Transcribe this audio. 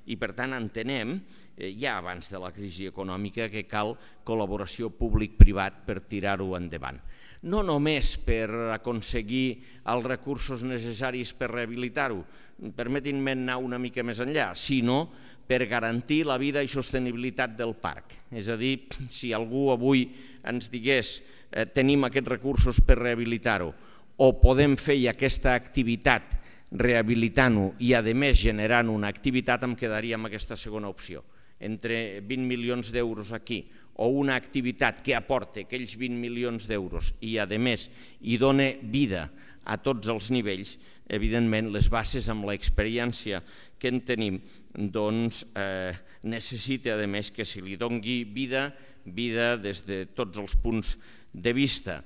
i per tant entenem, ja abans de la crisi econòmica, que cal col·laboració públic-privat per tirar-ho endavant. No només per aconseguir els recursos necessaris per rehabilitar-ho, permetin-me anar una mica més enllà, sinó per garantir la vida i sostenibilitat del parc. És a dir, si algú avui ens digués tenim aquests recursos per rehabilitar-ho o podem fer aquesta activitat rehabilitant-ho i a més generant una activitat, em quedaria amb aquesta segona opció. Entre 20 milions d'euros aquí o una activitat que aporta aquells 20 milions d'euros i a més hi dona vida a tots els nivells, evidentment les bases amb l'experiència que en tenim necessita a més que se li doni vida des de tots els punts de vista